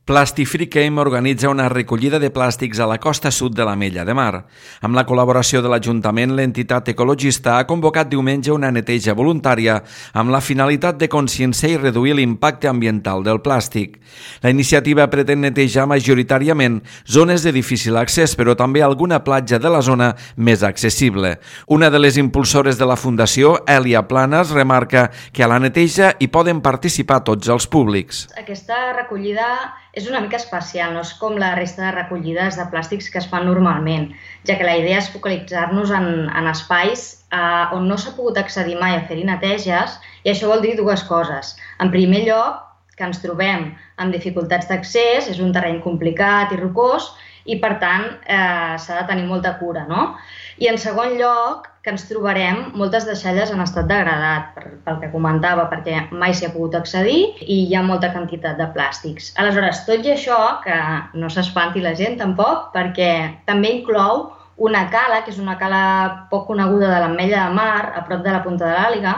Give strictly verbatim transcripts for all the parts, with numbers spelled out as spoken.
Plastifricame organitza una recollida de plàstics a la costa sud de l'Ametlla de Mar. Amb la col·laboració de l'Ajuntament, l'entitat ecologista ha convocat diumenge una neteja voluntària amb la finalitat de conscienciar i reduir l'impacte ambiental del plàstic. La iniciativa pretén netejar majoritàriament zones de difícil accés, però també alguna platja de la zona més accessible. Una de les impulsores de la Fundació, Èlia Planas, remarca que a la neteja hi poden participar tots els públics. Aquesta recollida és una mica especial, no és com la resta de recollides de plàstics que es fan normalment, ja que la idea és focalitzar-nos en, en espais eh, on no s'ha pogut accedir mai a fer-hi neteges, i això vol dir dues coses. En primer lloc, que ens trobem amb dificultats d'accés, és un terreny complicat i rocós, i per tant eh, s'ha de tenir molta cura, no? I en segon lloc, que ens trobarem moltes deixalles en estat degradat, pel que comentava, perquè mai s'hi ha pogut accedir i hi ha molta quantitat de plàstics. Aleshores, tot i això, que no s'espanti la gent tampoc, perquè també inclou una cala, que és una cala poc coneguda de l'Ametlla de Mar, a prop de la Punta de l'Àliga,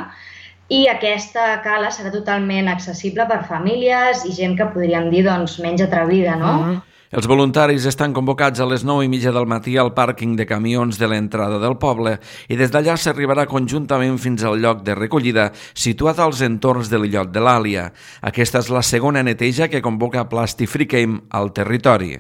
i aquesta cala serà totalment accessible per famílies i gent que podríem dir doncs, menys atrevida, no? Uh-huh. Els voluntaris estan convocats a les nou i mitja del matí al pàrquing de camions de l'entrada del poble i des d'allà s'arribarà conjuntament fins al lloc de recollida situat als entorns de l'illot de l'Àlia. Aquesta és la segona neteja que convoca Plastifricame al territori.